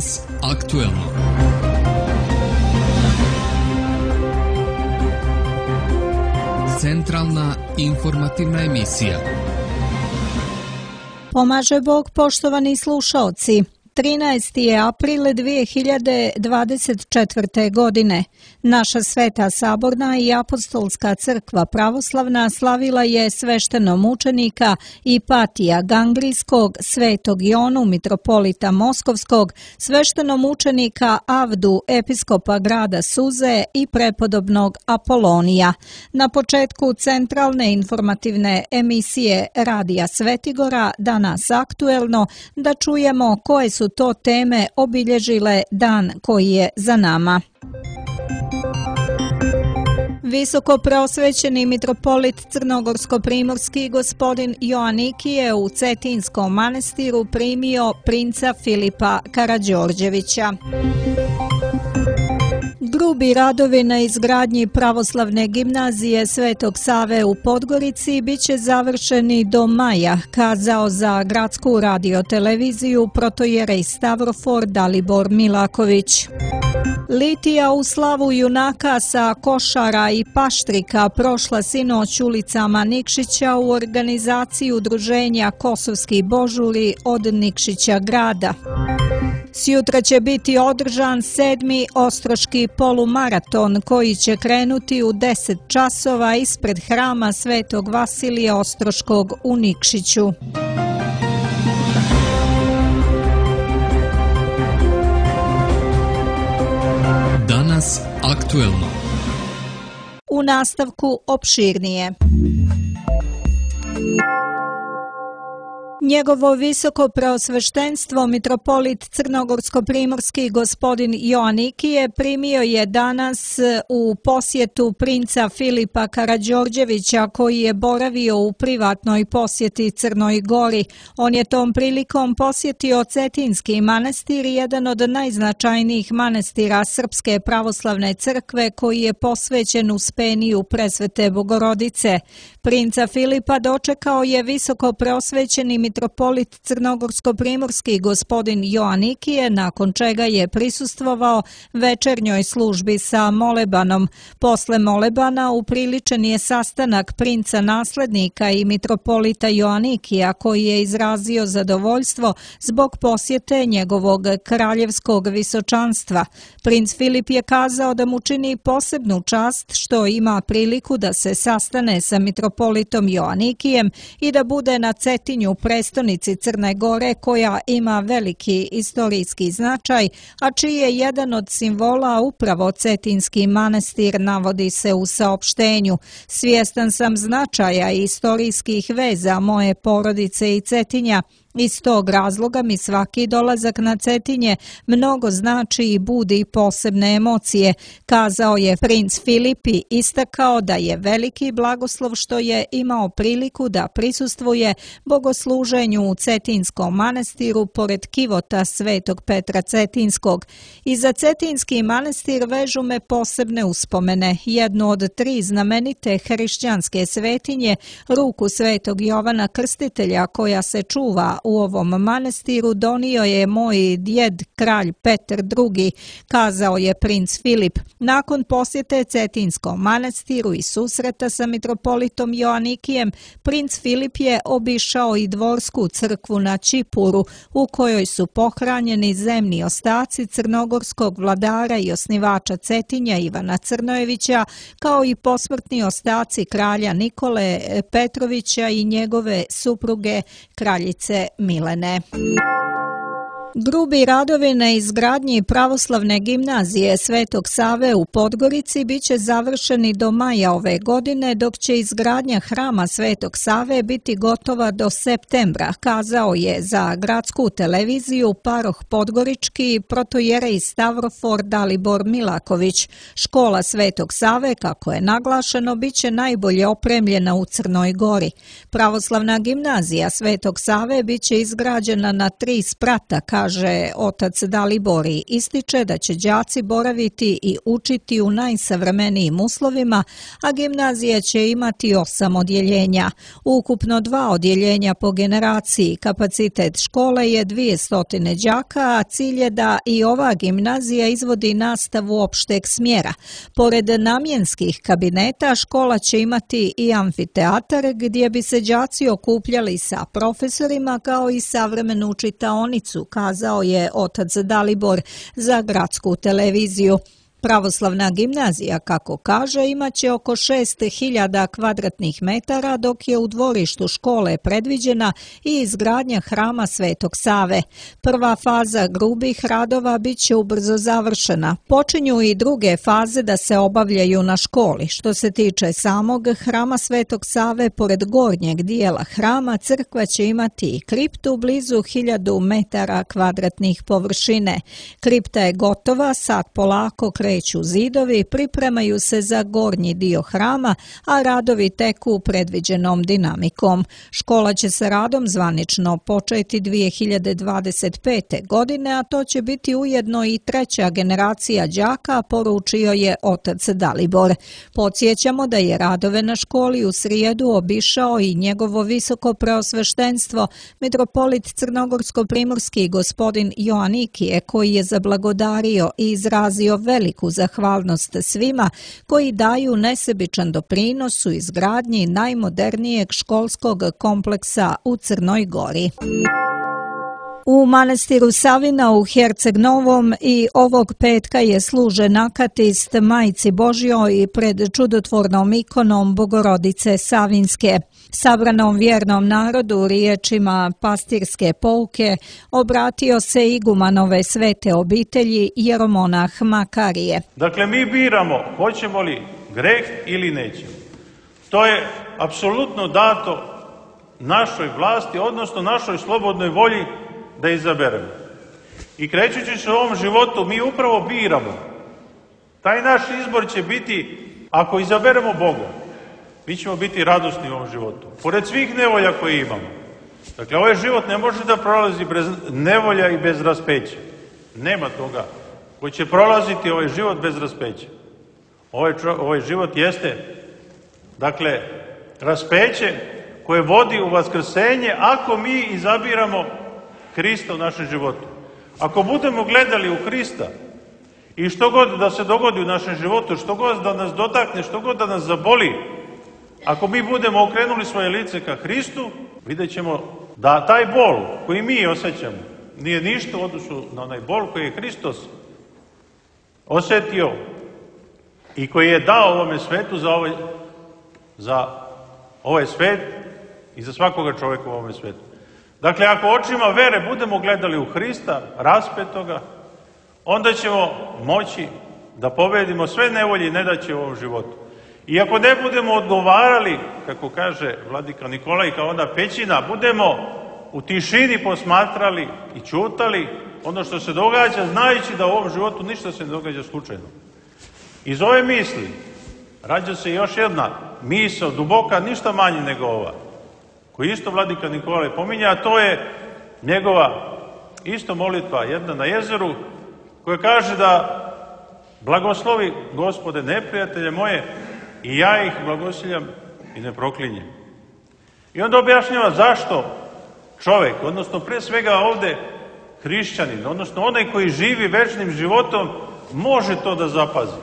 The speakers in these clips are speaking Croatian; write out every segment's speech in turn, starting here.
Danas aktuelno. Centralna informativna emisija. Pomaže Bog, poštovani slušaoci. 13. je april 2024. godine. Naša Sveta Saborna i Apostolska crkva pravoslavna slavila je sveštenomučenika Ipatija Gangrijskog, Svetog Jonu, mitropolita Moskovskog, sveštenomučenika Avdu, episkopa grada Suze i prepodobnog Apolonija. Na početku centralne informativne emisije Radija Svetigora, Danas aktuelno, da čujemo koje su to teme obilježile dan koji je za nama. Visoko preosvećeni mitropolit crnogorsko-primorski gospodin Joanikije u Cetinskom manastiru primio princa Filipa Karađorđevića. Grubi radovi na izgradnji pravoslavne gimnazije Svetog Save u Podgorici biće završeni do maja, kazao za gradsku radioteleviziju protojerej Stavrofor Dalibor Milaković. Litija u slavu junaka sa Košara i Paštrika prošla sinoć ulicama Nikšića u organizaciji udruženja Kosovski božuri od Nikšića grada. Sjutra će biti održan 7. Ostroški polumaraton koji će krenuti u 10 časova ispred hrama Svetog Vasilija Ostroškog u Nikšiću. Danas aktuelno. U nastavku opširnije. Njegovo visoko preosveštenstvo mitropolit crnogorsko-primorski gospodin Joanikije primio je danas u posjetu princa Filipa Karađorđevića koji je boravio u privatnoj posjeti Crnoj Gori. On je tom prilikom posjetio Cetinski manastir, jedan od najznačajnijih manastira Srpske pravoslavne crkve koji je posvećen Uspeniju Presvete Bogorodice. Princa Filipa dočekao je visoko preosvećeni mitropolit crnogorsko-primorski gospodin Joanikije, nakon čega je prisustvovao večernjoj službi sa molebanom. Posle molebana upriličen je sastanak princa naslednika i mitropolita Joanikija koji je izrazio zadovoljstvo zbog posjete njegovog kraljevskog visočanstva. Princ Filip je kazao da mu čini posebnu čast što ima priliku da se sastane sa mitropolitom Joanikijem i da bude na Cetinju, prestonici Crne Gore, koja ima veliki istorijski značaj, a čiji je jedan od simbola upravo Cetinski manastir, navodi se u saopštenju. Svjestan sam značaja i istorijskih veza moje porodice i Cetinja. Iz tog razloga mi svaki dolazak na Cetinje mnogo znači i budi posebne emocije, kazao je princ Filip i istakao da je veliki blagoslov što je imao priliku da prisustvuje bogosluženju u Cetinskom manastiru pored kivota Svetog Petra Cetinskog. I za Cetinski manastir vežu me posebne uspomene. Jednu od 3 znamenite hrišćanske svetinje, ruku Svetog Jovana Krstitelja koja se čuva u ovom manastiru, donio je moj djed kralj Petar II, kazao je princ Filip. Nakon posjete Cetinskom manastiru i susreta sa mitropolitom Joanikijem, princ Filip je obišao i dvorsku crkvu na Čipuru, u kojoj su pohranjeni zemni ostaci crnogorskog vladara i osnivača Cetinja Ivana Crnojevića, kao i posmrtni ostaci kralja Nikole Petrovića i njegove supruge kraljice Milene. Grubi radovi na izgradnji pravoslavne gimnazije Svetog Save u Podgorici biće završeni do maja ove godine, dok će izgradnja hrama Svetog Save biti gotova do septembra, kazao je za gradsku televiziju paroh podgorički protojerej Stavrofor Dalibor Milaković. Škola Svetog Save, kako je naglašeno, biće najbolje opremljena u Crnoj Gori. Pravoslavna gimnazija Svetog Save biće izgrađena na 3 sprata, kaže otac Dalibor i ističe da će đaci boraviti i učiti u najsavremenijim uslovima, a gimnazija će imati 8 odjeljenja. Ukupno 2 odjeljenja po generaciji, kapacitet škole je 200 đaka, a cilj je da i ova gimnazija izvodi nastavu opšteg smjera. Pored namjenskih kabineta, škola će imati i amfiteatar gdje bi se đaci okupljali sa profesorima kao i savremenu čitaonicu, kazao je otac Dalibor za gradsku televiziju. Pravoslavna gimnazija, kako kaže, imaće oko 6.000 kvadratnih metara, dok je u dvorištu škole predviđena i izgradnja hrama Svetog Save. Prva faza grubih radova bit će ubrzo završena. Počinju i druge faze da se obavljaju na školi. Što se tiče samog hrama Svetog Save, pored gornjeg dijela hrama, crkva će imati i kriptu blizu 1000 metara kvadratnih površine. Kripta je gotova, sad polako kreću zidovi, pripremaju se za gornji dio hrama, a radovi teku predviđenom dinamikom. Škola će sa radom zvanično početi 2025. godine, a to će biti ujedno i 3. generacija đaka, poručio je otac Dalibor. Podsjećamo da je radove na školi u srijedu obišao i njegovo visoko preosveštenstvo, mitropolit crnogorsko-primorski gospodin Joanikije, koji je zablagodario i izrazio veliku zahvalnost svima koji daju nesebičan doprinos u izgradnji najmodernijeg školskog kompleksa u Crnoj Gori. U manastiru Savina u Herceg Novom i ovog petka je služen akatist Majci Božjoj pred čudotvornom ikonom Bogorodice Savinske. Sabranom vjernom narodu riječima pastirske pouke obratio se igumanove svete obitelji jeromonah Makarije. Dakle, mi biramo hoćemo li greh ili nećemo. To je apsolutno dato našoj vlasti, odnosno našoj slobodnoj volji da izaberemo. I krećući se u ovom životu, mi upravo biramo. Taj naš izbor će biti, ako izaberemo Boga, mi ćemo biti radosni u ovom životu. Pored svih nevolja koje imamo. Dakle, ovaj život ne može da prolazi bez nevolja i bez raspeća. Nema toga koji će prolaziti ovaj život bez raspeća. Ovaj život jeste, dakle, raspeće koje vodi u vaskrsenje ako mi izabiramo Hrista u našem životu. Ako budemo gledali u Hrista i što god da se dogodi u našem životu, što god da nas dotakne, što god da nas zaboli, ako mi budemo okrenuli svoje lice ka Hristu, vidjet ćemo da taj bol koji mi osjećamo nije ništa u odnosu na onaj bol koji je Hristos osjetio i koji je dao ovome svetu za ovaj svet i za svakoga čovjeka u ovome svetu. Dakle, ako očima vere budemo gledali u Hrista, raspetoga, onda ćemo moći da pobedimo sve nevolje i nedaće u ovom životu. I ako ne budemo odgovarali, kako kaže vladika Nikolaj, kao ona pećina, budemo u tišini posmatrali i čutali ono što se događa, znajući da u ovom životu ništa se ne događa slučajno. Iz ove misli rađa se još jedna misao, duboka, ništa manje nego ova, koju isto vladika Nikolaj pominja, a to je njegova isto molitva, jedna na jezeru, koja kaže da blagoslovi Gospode neprijatelje moje i ja ih blagosiljam i ne proklinjem. I onda objašnjava zašto čovjek, odnosno pre svega ovde hrišćanin, odnosno onaj koji živi večnim životom, može to da zapazi.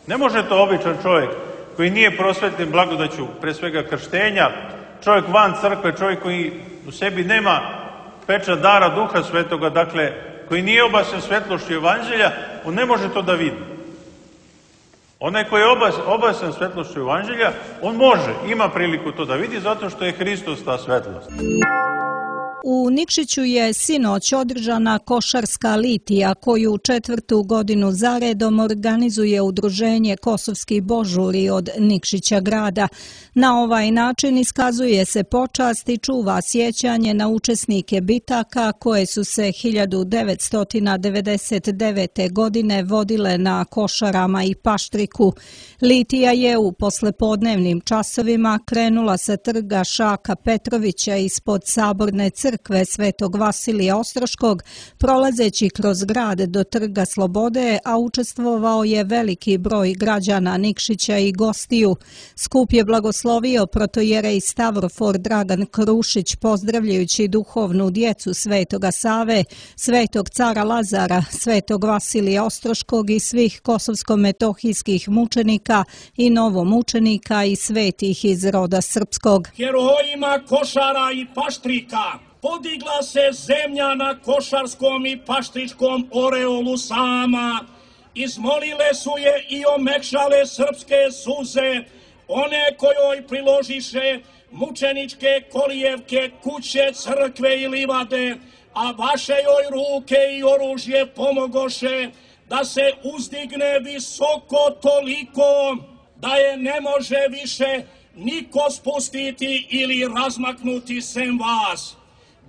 Ne može to običan čovjek koji nije prosvetljen blagodaću pre svega krštenja, čovjek van crkve, čovjek koji u sebi nema pečat dara Duha Svetoga, dakle, koji nije obasen svetlošću Evanđelja, on ne može to da vidi. Onaj koji je obasen svetlošću Evanđelja, on može, ima priliku to da vidi, zato što je Hristos ta svetlost. U Nikšiću je sinoć održana košarska litija koju 4. godinu zaredom organizuje udruženje Kosovski božuri od Nikšića grada. Na ovaj način iskazuje se počast i čuva sjećanje na učesnike bitaka koje su se 1999. godine vodile na Košarama i Paštriku. Litija je u poslepodnevnim časovima krenula sa trga Šaka Petrovića ispod Saborne crkve crkve Svetog Vasilija Ostroškog, prolazeći kroz grad do Trga Slobode, a učestvovao je veliki broj građana Nikšića i gostiju. Skup je blagoslovio protojerej Stavrofor Dragan Krušić, pozdravljajući duhovnu djecu Svetoga Save, Svetog cara Lazara, Svetog Vasilija Ostroškog i svih kosovsko-metohijskih mučenika i novomučenika i svetih iz roda srpskog. Herojima Košara i Paštrika podigla se zemlja na košarskom i paštričkom oreolu sama. Izmolile su je i omekšale srpske suze, one kojoj priložiše mučeničke kolijevke, kuće, crkve i livade, a vaše joj ruke i oružje pomogoše da se uzdigne visoko toliko da je ne može više niko spustiti ili razmaknuti sem vas.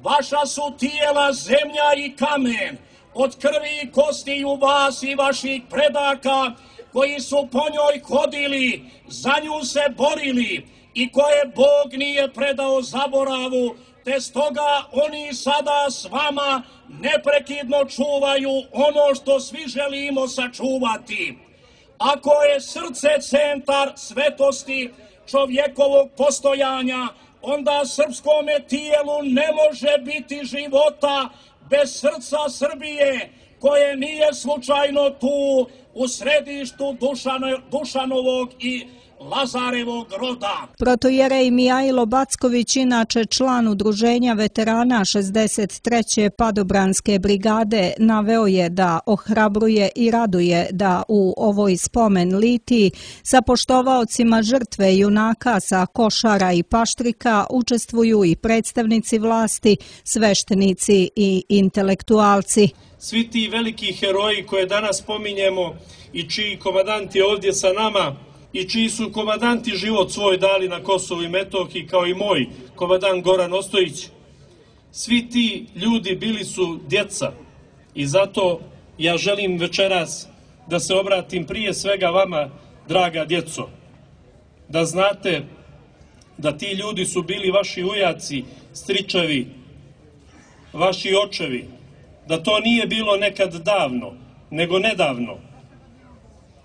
Vaša su tijela zemlja i kamen, od krvi i kostiju vas i vaših predaka, koji su po njoj hodili, za nju se borili i koje Bog nije predao zaboravu, te stoga oni sada s vama neprekidno čuvaju ono što svi želimo sačuvati. Ako je srce centar svetosti čovjekovog postojanja, onda srpskome tijelu ne može biti života bez srca Srbije, koje nije slučajno tu u središtu Dušanovog i Lazarevog roda. Protojerej Mijajlo Backović, inače član udruženja veterana 63. Padobranske brigade, naveo je da ohrabruje i raduje da u ovoj spomen litiji sa poštovaocima žrtve junaka sa Košara i Paštrika učestvuju i predstavnici vlasti, sveštenici i intelektualci. Svi ti veliki heroji koje danas spominjemo i čiji komandant je ovdje sa nama i čiji su komandanti život svoj dali na Kosovu i Metohiji, kao i moj komandant Goran Ostojić, svi ti ljudi bili su djeca i zato ja želim večeras da se obratim prije svega vama, draga djeco, da znate da ti ljudi su bili vaši ujaci, stričevi, vaši očevi, da to nije bilo nekad davno, nego nedavno.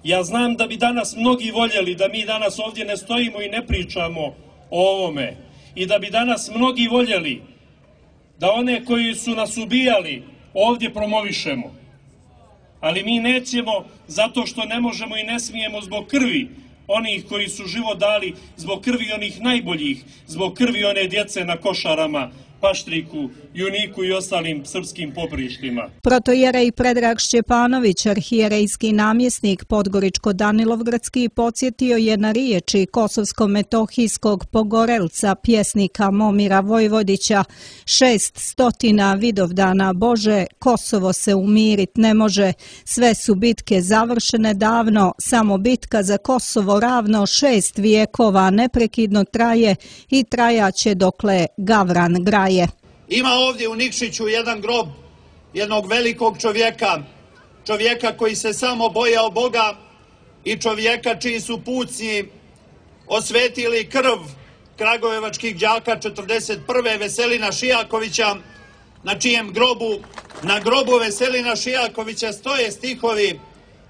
Ja znam da bi danas mnogi voljeli da mi danas ovdje ne stojimo i ne pričamo o ovome i da bi danas mnogi voljeli da one koji su nas ubijali ovdje promovišemo. Ali mi nećemo zato što ne možemo i ne smijemo zbog krvi onih koji su život dali, zbog krvi onih najboljih, zbog krvi one djece na Košarama, Paštriku, Juniku i ostalim srpskim poprištima. Protojerej Predrag Šćepanović, arhijerejski namjesnik Podgoričko-Danilovgradski, podsjetio je na riječi kosovsko-metohijskog pogorelca, pjesnika Momira Vojvodića: 600 Vidovdana Bože, Kosovo se umirit ne može, sve su bitke završene davno, samo bitka za Kosovo ravno 6 vijekova neprekidno traje i trajaće dokle Gavran graje. Ima ovdje u Nikšiću jedan grob jednog velikog čovjeka koji se samo bojao Boga i čovjeka čiji su pucnji osvetili krv kragujevačkih đaka 41. Veselina Šijakovića, na čijem na grobu Veselina Šijakovića stoje stihovi: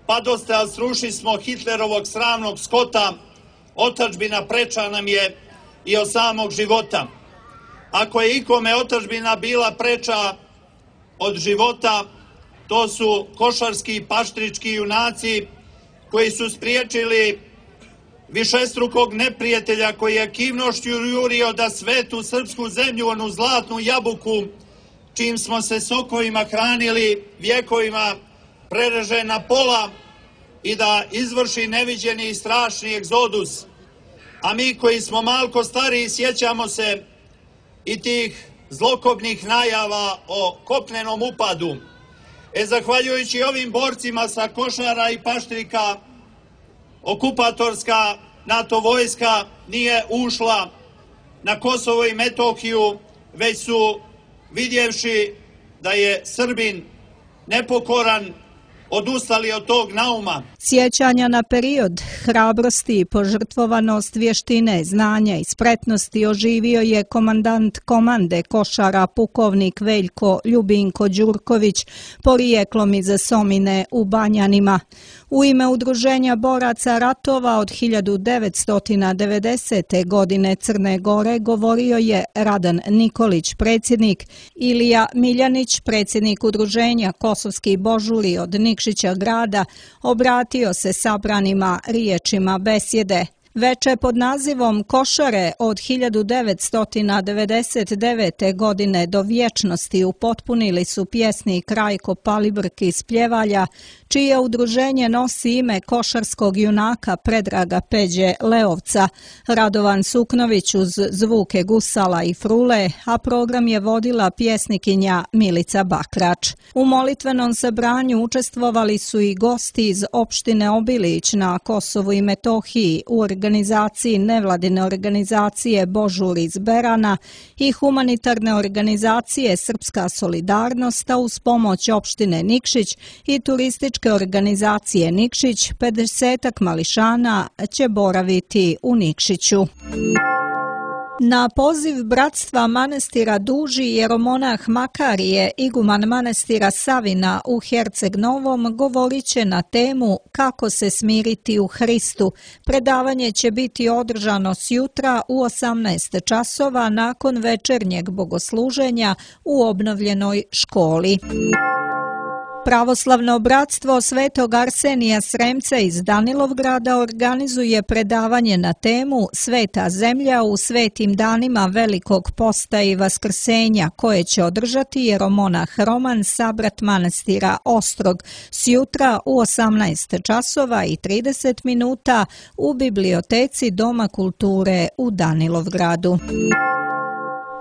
pa dosta, al sruši smo Hitlerovog sramnog skota, otadžbina preča nam je i od samog života. Ako je ikome otadžbina bila preča od života, to su košarski i paštrički junaci koji su spriječili višestrukog neprijatelja koji je kivnošću jurio da svetu srpsku zemlju, onu zlatnu jabuku, čim smo se sokovima hranili vjekovima, prereže na pola i da izvrši neviđeni i strašni egzodus. A mi koji smo malko stariji sjećamo se i tih zlokobnih najava o kopnenom upadu. Zahvaljujući ovim borcima sa Košara i Paštrika, okupatorska NATO vojska nije ušla na Kosovo i Metohiju, već su, vidjevši da je Srbin nepokoran, odustali od tog nauma. Sjećanja na period hrabrosti i požrtvovanost, vještine, znanja i spretnosti oživio je komandant komande košara pukovnik Veljko Ljubinko Đurković, porijeklom iz Somine u Banjanima. U ime Udruženja boraca ratova od 1990. godine Crne Gore govorio je Radan Nikolić, predsjednik, Ilija Miljanić, predsjednik Udruženja Kosovski Božuli od Nikšića grada, obratio se sabranima riječima besjede. Veče pod nazivom Košare od 1999. godine do vječnosti upotpunili su pjesnik Rajko Palibrk iz Pljevalja, čije udruženje nosi ime košarskog junaka Predraga Peđe Leovca, Radovan Suknović uz zvuke gusala i frule, a program je vodila pjesnikinja Milica Bakrač. U molitvenom sabranju učestvovali su i gosti iz opštine Obilić na Kosovu i Metohiji, u organizaciji nevladine organizacije Božur iz Berana i humanitarne organizacije Srpska solidarnost, a uz pomoć opštine Nikšić i turističke organizacije Nikšić, 50-ak mališana će boraviti u Nikšiću. Na poziv bratstva manastira Duži jeromonah Makarije, iguman manastira Savina u Herceg Novom, govorit će na temu Kako se smiriti u Hristu. Predavanje će biti održano sjutra u 18 časova nakon večernjeg bogosluženja u obnovljenoj školi. Pravoslavno bratstvo Svetog Arsenija Sremca iz Danilovgrada organizuje predavanje na temu Sveta zemlja u svetim danima Velikog posta i Vaskrsenja, koje će održati jeromonah Roman, sabrat manastira Ostrog, sjutra u 18 časova i 30 minuta u biblioteci Doma kulture u Danilovgradu.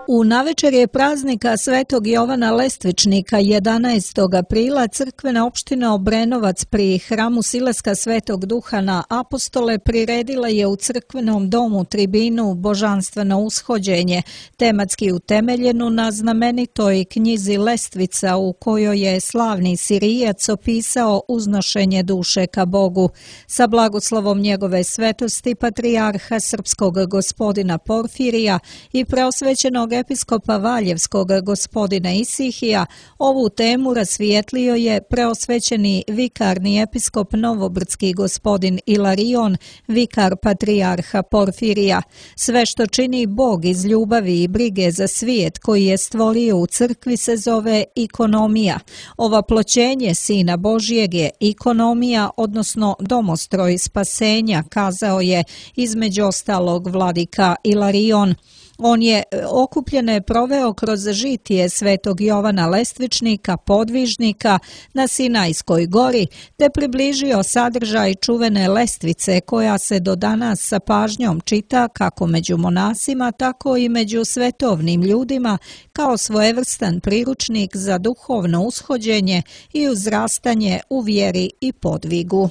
U navečerje praznika Svetog Jovana Lestvičnika 11. aprila crkvena opština Obrenovac pri hramu Silaska Svetog Duha na Apostole priredila je u crkvenom domu tribinu Božanstveno ushođenje, tematski utemeljenu na znamenitoj knjizi Lestvica u kojoj je slavni Sirijac opisao uznošenje duše ka Bogu. Sa blagoslovom njegove svetosti patrijarha srpskog gospodina Porfirija i preosvećenog episkopa Valjevskog gospodina Isihija, ovu temu rasvijetlio je preosvećeni vikarni episkop Novobrdski gospodin Ilarion, vikar patrijarha Porfirija. Sve što čini Bog iz ljubavi i brige za svijet koji je stvorio u crkvi se zove ikonomija. Ovaploćenje Sina Božjeg je ikonomija, odnosno domostroj spasenja, kazao je između ostalog vladika Ilarion. On je okupljene proveo kroz žitije Svetog Jovana Lestvičnika, podvižnika na Sinajskoj gori, te približio sadržaj čuvene lestvice koja se do danas sa pažnjom čita kako među monasima, tako i među svetovnim ljudima kao svojevrstan priručnik za duhovno ushođenje i uzrastanje u vjeri i podvigu.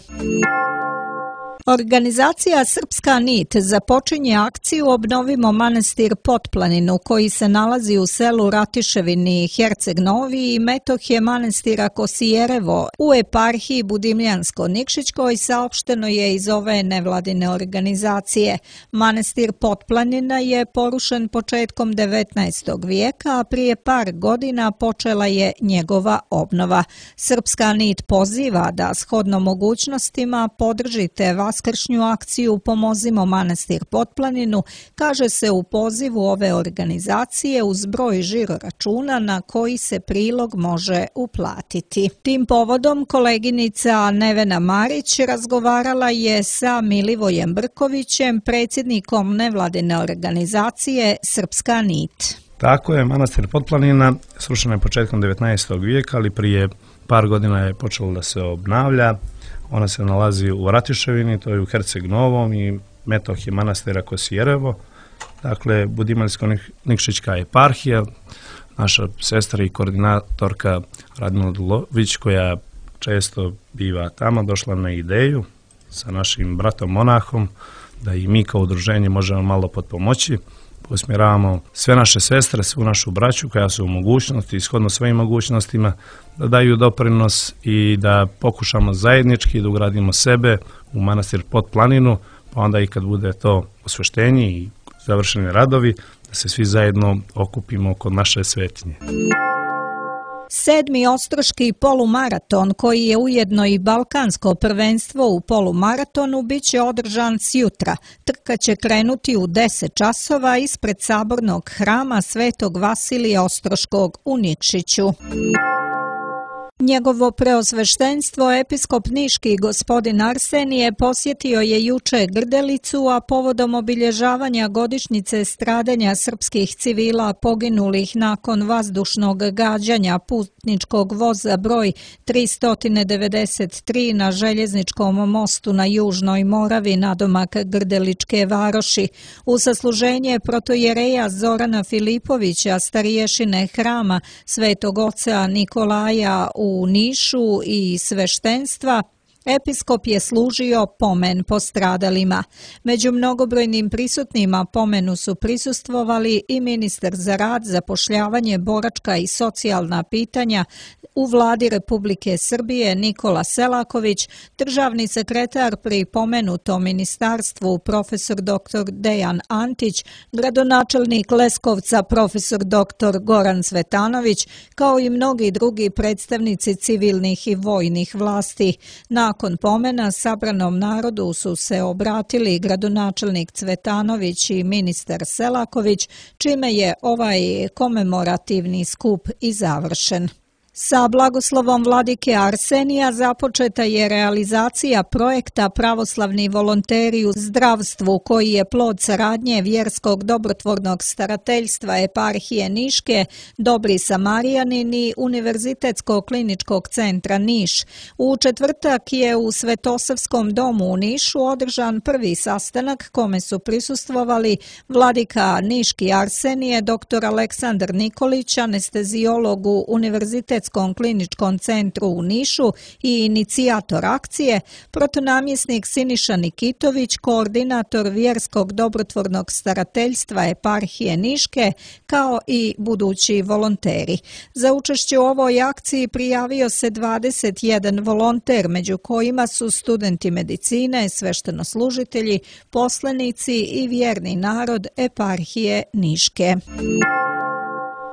Organizacija Srpska nit započinje akciju Obnovimo manastir Potplaninu, koji se nalazi u selu Ratiševini, Herceg Novi i Metohije manastira Kosijerevo u eparhiji Budimljansko-Nikšićkoj, saopšteno je iz ove nevladine organizacije. Manastir Potplanina je porušen početkom 19. vijeka, a prije par godina počela je njegova obnova. Srpska nit poziva da shodno mogućnostima podržite vaskršnju akciju Pomozimo manastir Potplaninu, kaže se u pozivu ove organizacije uz broj žiro računa na koji se prilog može uplatiti. Tim povodom koleginica Nevena Marić razgovarala je sa Milivojem Brkovićem, predsjednikom nevladine organizacije Srpska nit. Tako je, manastir Potplanina srušen je početkom 19. vijeka, ali prije par godina je počelo da se obnavlja. Ona se nalazi u Ratiševini, to je u Herceg Novom, i Metohije manastira Kosijerevo, dakle Budimaljsko-Nikšićka eparhija. Naša sestra i koordinatorka Radmila Dulović, koja često biva tamo, došla na ideju sa našim bratom monahom da i mi kao udruženje možemo malo potpomoći, usmjeravamo sve naše sestre, svu našu braću koja su u mogućnosti, ishodno svojim mogućnostima, da daju doprinos i da pokušamo zajednički da ugradimo sebe u manastir Potplaninu, pa onda i kad bude to osveštenje i završeni radovi, da se svi zajedno okupimo kod naše svetinje. 7. Ostroški polumaraton, koji je ujedno i balkansko prvenstvo u polumaratonu, bit će održan sjutra. Trka će krenuti u 10 časova ispred sabornog hrama Svetog Vasilija Ostroškog u Nikšiću. Njegovo preosveštenstvo episkop niški gospodin Arsenije posjetio je juče Grdelicu, a povodom obilježavanja godišnjice stradanja srpskih civila poginulih nakon vazdušnog gađanja putničkog voza broj 393 na željezničkom mostu na Južnoj Moravi nadomak Grdeličke varoši, u sasluženje protojereja Zorana Filipovića, stariješine hrama Svetog oca Nikolaja u Nišu i sveštenstva, episkop je služio pomen postradalima. Među mnogobrojnim prisutnima pomenu su prisustvovali i ministar za rad, zapošljavanje, boračka i socijalna pitanja u vladi Republike Srbije Nikola Selaković, državni sekretar pri pomenutom ministarstvu profesor dr. Dejan Antić, gradonačelnik Leskovca profesor dr. Goran Cvetanović, kao i mnogi drugi predstavnici civilnih i vojnih vlasti. Nakon pomena sabranom narodu su se obratili gradonačelnik Cvetanović i ministar Selaković, čime je ovaj komemorativni skup i završen. Sa blagoslovom vladike Arsenija započeta je realizacija projekta Pravoslavni volonteri u zdravstvu, koji je plod saradnje vjerskog dobrotvornog starateljstva eparhije Niške, Dobri Samarijanin i Univerzitetskog kliničkog centra Niš. U četvrtak je u Svetosavskom domu u Nišu održan prvi sastanak kome su prisustvovali vladika Niški Arsenije, dr. Aleksandar Nikolić, anesteziolog u Univerzitetskom kliničkom centru u Nišu i inicijator akcije, protonamjesnik Siniša Nikitović, koordinator vjerskog dobrotvornog starateljstva eparhije Niške, kao i budući volonteri. Za učešće u ovoj akciji prijavio se 21 volonter, među kojima su studenti medicine, sveštenoslужitelji, poslanici i vjerni narod eparhije Niške.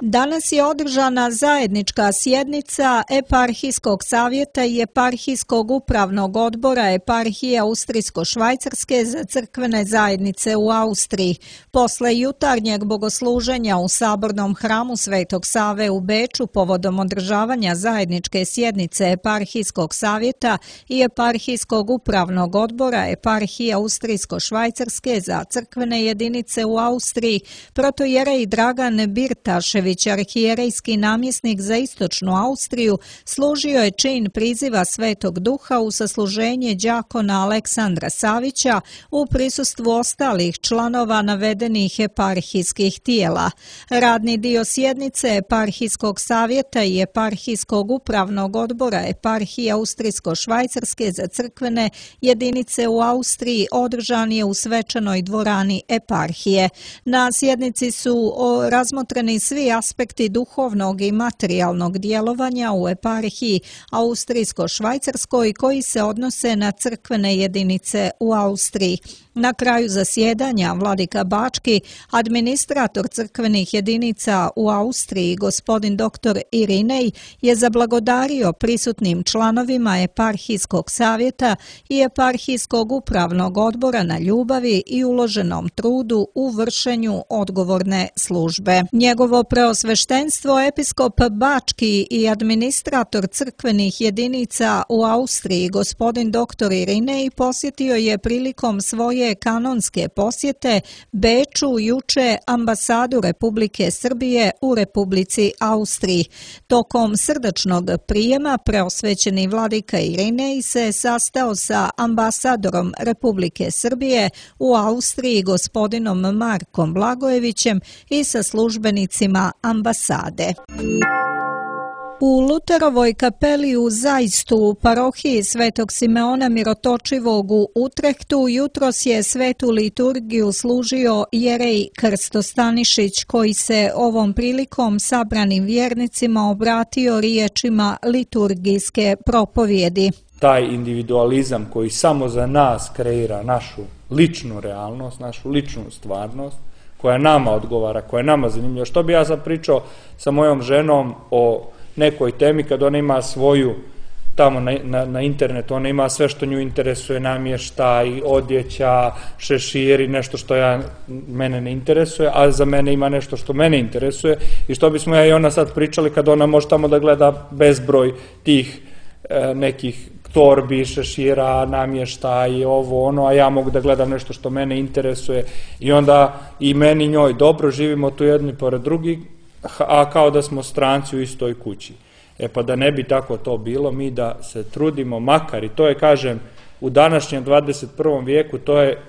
Danas je održana zajednička sjednica Eparhijskog savjeta i Eparhijskog upravnog odbora Eparhije Austrijsko-Švajcarske za crkvene zajednice u Austriji. Posle jutarnjeg bogosluženja u sabornom hramu Svetog Save u Beču povodom održavanja zajedničke sjednice Eparhijskog savjeta i Eparhijskog upravnog odbora Eparhije Austrijsko-Švajcarske za crkvene jedinice u Austriji, protojerej Dragan Birtašević, arhijerejski namjesnik za istočnu Austriju, služio je čin priziva Svetog Duha u sasluženje đakona Aleksandra Savića u prisustvu ostalih članova navedenih eparhijskih tijela. Radni dio sjednice Eparhijskog savjeta i Eparhijskog upravnog odbora Eparhije Austrijsko-Švajcarske za crkvene jedinice u Austriji održan je u svečanoj dvorani eparhije. Na sjednici su razmotreni svi aspekti duhovnog i materijalnog djelovanja u eparhiji Austrijsko-Švajcarskoj koji se odnose na crkvene jedinice u Austriji. Na kraju zasjedanja vladika Bački, administrator crkvenih jedinica u Austriji, gospodin dr. Irinej, je zablagodario prisutnim članovima Eparhijskog savjeta i Eparhijskog upravnog odbora na ljubavi i uloženom trudu u vršenju odgovorne službe. Njegovo preosveštenstvo episkop Bački i administrator crkvenih jedinica u Austriji, gospodin dr. Irinej, posjetio je prilikom svoje kanonske posjete Beču juče ambasadu Republike Srbije u Republici Austriji. Tokom srdačnog prijema preosvećeni vladika Irinej se sastao sa ambasadorom Republike Srbije u Austriji gospodinom Markom Blagojevićem i sa službenicima ambasade. U Luterovoj kapeli u Zajstu u parohiji Svetog Simeona Mirotočivog u Utrehtu jutros je svetu liturgiju služio jerej Krsto Stanišić, koji se ovom prilikom sabranim vjernicima obratio riječima liturgijske propovjedi. Taj individualizam koji samo za nas kreira našu ličnu realnost, našu ličnu stvarnost, koja nama odgovara, koja je nama zanimljiva. Što bi ja sad pričao sa mojom ženom o nekoj temi kad ona ima svoju tamo na internetu, ona ima sve što nju interesuje, namještaj, odjeća, šeširi, nešto što mene ne interesuje, a za mene ima nešto što mene interesuje, i što bismo ja i ona sad pričali kad ona može tamo da gleda bezbroj tih nekih torbi, šešira, namještaj, ovo, ono, a ja mogu da gledam nešto što mene interesuje, i onda i meni i njoj dobro, živimo tu jedni pored drugih, a kao da smo stranci u istoj kući. Pa da ne bi tako to bilo, mi da se trudimo, makar, i to je, kažem, u današnjem 21. vijeku, to je,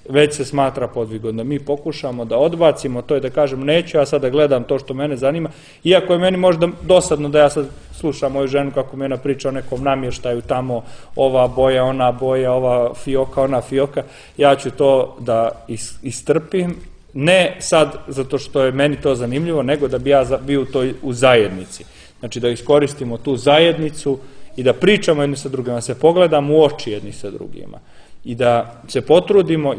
već se smatra podvigom, da mi pokušamo da odbacimo, to je da kažem, neću ja sad da gledam to što mene zanima, iako je meni možda dosadno da ja sad slušam moju ženu kako mi ona priča o nekom namještaju tamo, ova boja, ona boja, ova fioka, ona fioka, ja ću to da istrpim, ne sad zato što je meni to zanimljivo, nego da bi ja bio u zajednici. Znači da iskoristimo tu zajednicu i da pričamo jedni sa drugima, da se pogledamo u oči jedni sa drugima i da se potrudimo,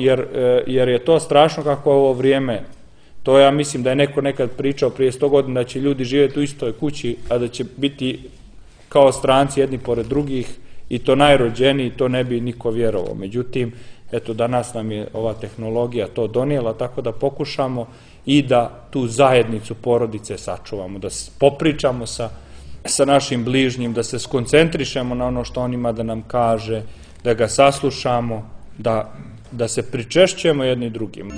jer je to strašno kako je ovo vrijeme. To ja mislim da je neko nekad pričao prije 100 godina da će ljudi živjeti u istoj kući, a da će biti kao stranci jedni pored drugih, i to najrođeniji, to ne bi niko vjerovao. Međutim, eto, danas nam je ova tehnologija to donijela, tako da pokušamo i da tu zajednicu porodice sačuvamo, da popričamo sa našim bližnjim, da se skoncentrišemo na ono što on ima da nam kaže, da ga saslušamo, da se pričešćujemo jedni drugim.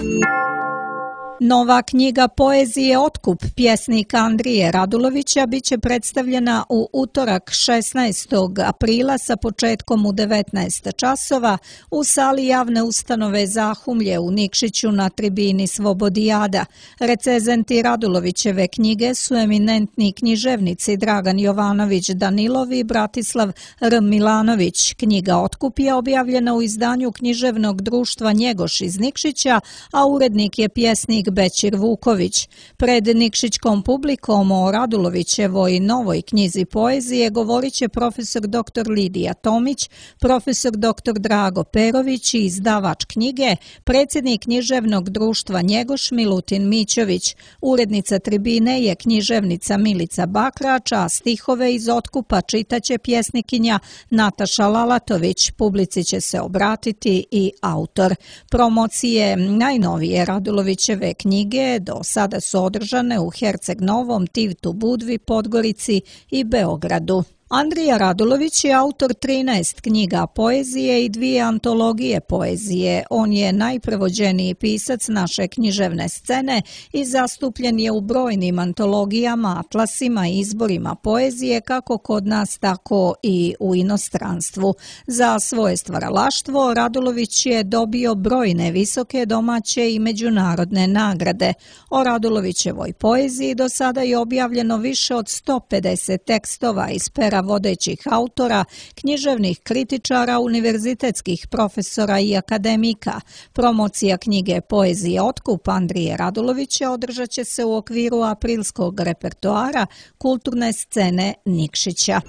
Nova knjiga poezije Otkup pjesnika Andrije Radulovića biće predstavljena u utorak 16. aprila sa početkom u 19 časova u sali javne ustanove Zahumlje u Nikšiću na tribini Svobodijada. Recenzenti Radulovićeve knjige su eminentni književnici Dragan Jovanović Danilov i Bratislav R. Milanović. Knjiga Otkup je objavljena u izdanju književnog društva Njegoš iz Nikšića, a urednik je pjesnik Bećir Vuković. Pred nikšićkom publikom o Radulovićevoj novoj knjizi poezije govorit će profesor dr. Lidija Tomić, profesor dr. Drago Perović i izdavač knjige, predsjednik književnog društva Njegoš Milutin Mićović. Urednica tribine je književnica Milica Bakrač, a stihove iz Otkupa čitaće pjesnikinja Nataša Lalatović. Publici će se obratiti i autor. Promocije najnovije Radulovićeve knjige do sada su održane u Herceg Novom, Tivtu Budvi, Podgorici i Beogradu. Andrija Radulović je autor 13 knjiga poezije i 2 antologije poezije. On je najprevođeniji pisac naše književne scene i zastupljen je u brojnim antologijama, atlasima i izborima poezije kako kod nas, tako i u inostranstvu. Za svoje stvaralaštvo Radulović je dobio brojne visoke domaće i međunarodne nagrade. O Radulovićevoj poeziji do sada je objavljeno više od 150 tekstova iz pera vodećih autora, književnih kritičara, univerzitetskih profesora i akademika. Promocija knjige poezije Otkup Andrije Radulovića održat će se u okviru aprilskog repertoara kulturne scene Nikšića.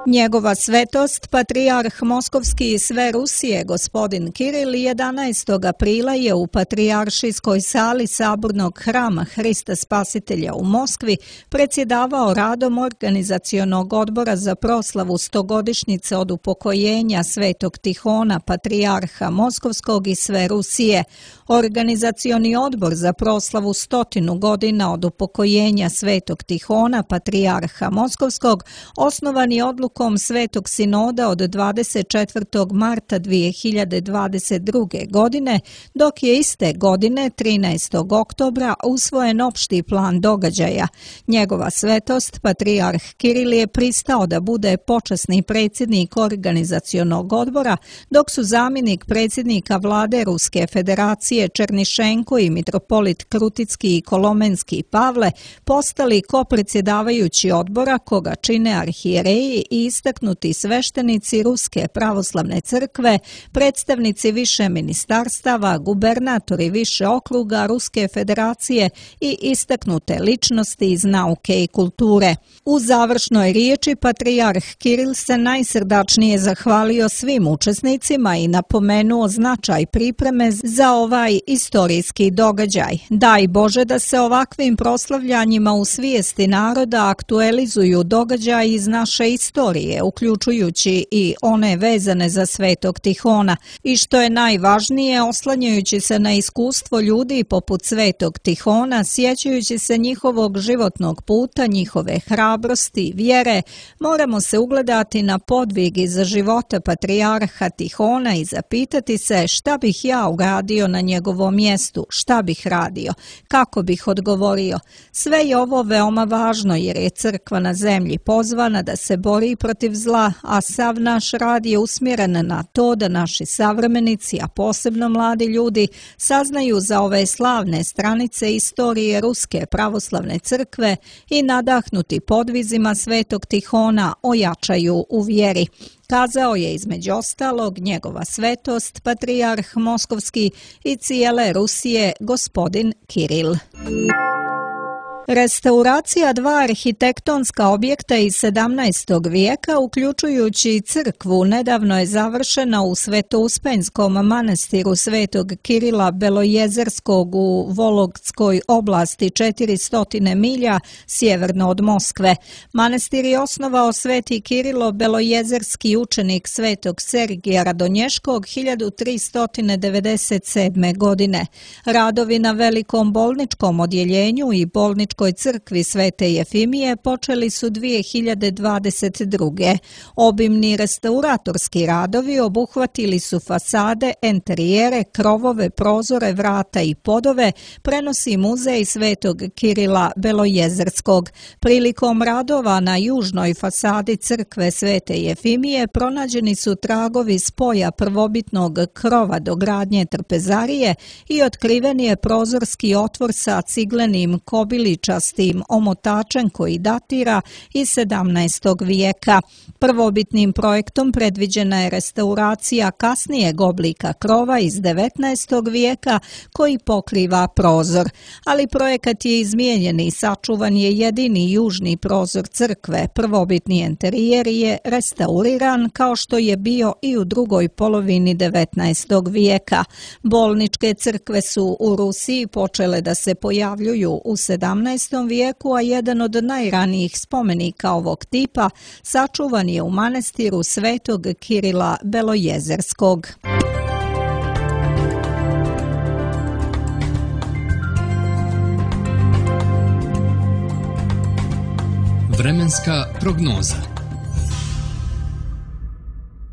Njegova svetost, patrijarh Moskovski i sve Rusije, gospodin Kiril, 11. aprila je u Patrijaršijskoj sali Sabornog hrama Hrista Spasitelja u Moskvi predsjedavao radom organizacionog odbora za proslavu 100-godišnjice od upokojenja Svetog Tihona, patrijarha Moskovskog i sve Rusije. Organizacioni odbor za proslavu 100 godina od upokojenja Svetog Tihona, patrijarha Moskovskog, osnovan je odlukom odlukom Svetog sinoda od 24. marta 2022. godine, dok je iste godine 13. oktobra usvojen opšti plan događaja. Njegova svetost, patrijarh Kiril, je pristao da bude počasni predsjednik organizacionog odbora, dok su zamjenik predsjednika vlade Ruske federacije Černišenko i mitropolit Kruticki i Kolomenski Pavle postali kopredsjedavajući odbora koga čine arhijereji i istaknuti sveštenici Ruske pravoslavne crkve, predstavnici više ministarstava, gubernatori više okruga Ruske federacije i istaknute ličnosti iz nauke i kulture. U završnoj riječi patrijarh Kiril se najsrdačnije zahvalio svim učesnicima i napomenuo značaj pripreme za ovaj istorijski događaj. Daj Bože da se ovakvim proslavljanjima u svijesti naroda aktualizuju događaji iz naše istorije, uključujući i one vezane za Svetog Tihona, i što je najvažnije, oslanjajući se na iskustvo ljudi poput Svetog Tihona, sjećajući se njihovog životnog puta, njihove hrabrosti, vjere, moramo se ugledati na podvig iz života patrijarha Tihona i zapitati se šta bih ja uradio na njegovom mjestu, šta bih radio, kako bih odgovorio. Sve je ovo veoma važno jer je crkva na zemlji pozvana da se bori protiv zla, a sav naš rad je usmjeren na to da naši savremenici, a posebno mladi ljudi, saznaju za ove slavne stranice istorije Ruske pravoslavne crkve i nadahnuti podvizima Svetog Tihona ojačaju u vjeri. Kazao je između ostalog njegova svetost, patrijarh Moskovski i cijele Rusije, gospodin Kiril. Restauracija dva arhitektonska objekta iz 17. vijeka, uključujući crkvu, nedavno je završena u Svetouspenskom manastiru Svetog Kirila Belojezerskog u Vologdskoj oblasti 400 milja sjeverno od Moskve. Manastir je osnovao Sveti Kirilo Belojezerski učenik Svetog Sergija Radonješkog 1397. godine. Radovi na velikom bolničkom odjeljenju i bolničkom crkvi Svete Jefimije počeli su 2022. Obimni restauratorski radovi obuhvatili su fasade, enterijere, krovove, prozore, vrata i podove, prenosi muzej Svetog Kirila Belojezerskog. Prilikom radova na južnoj fasadi crkve Svete Jefimije pronađeni su tragovi spoja prvobitnog krova do gradnje trpezarije i otkriven je prozorski otvor sa ciglenim kobiličastim omotačem koji datira iz 17. vijeka. Prvobitnim projektom predviđena je restauracija kasnijeg oblika krova iz 19. vijeka koji pokriva prozor, ali projekat je izmijenjen i sačuvan je jedini južni prozor crkve. Prvobitni enterijer je restauriran kao što je bio i u drugoj polovini 19. vijeka. Bolničke crkve su u Rusiji počele da se pojavljuju u 17. vijeku, a jedan od najranijih spomenika ovog tipa sačuvan je u manastiru Svetog Kirila Belojezerskog. Vremenska prognoza.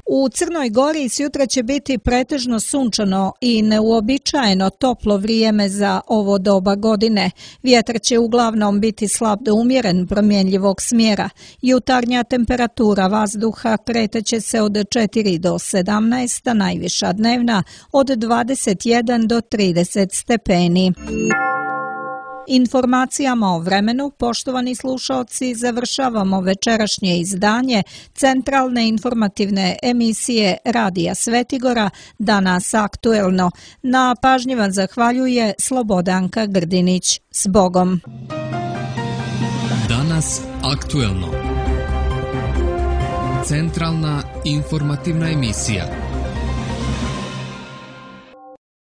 U Crnoj Gori sutra će biti pretežno sunčano i neuobičajeno toplo vrijeme za ovo doba godine. Vjetar će uglavnom biti slab do umjeren promjenjivog smjera. Jutarnja temperatura vazduha kretat se od 4 do 17, a najviša dnevna od 21 do 30 stepeni. Informacijama o vremenu, poštovani slušaoci, završavamo večerašnje izdanje centralne informativne emisije Radija Svetigora, Danas aktuelno. Na pažnji vam zahvaljuje Slobodanka Grdinić. S Bogom! Danas aktuelno. Centralna informativna emisija.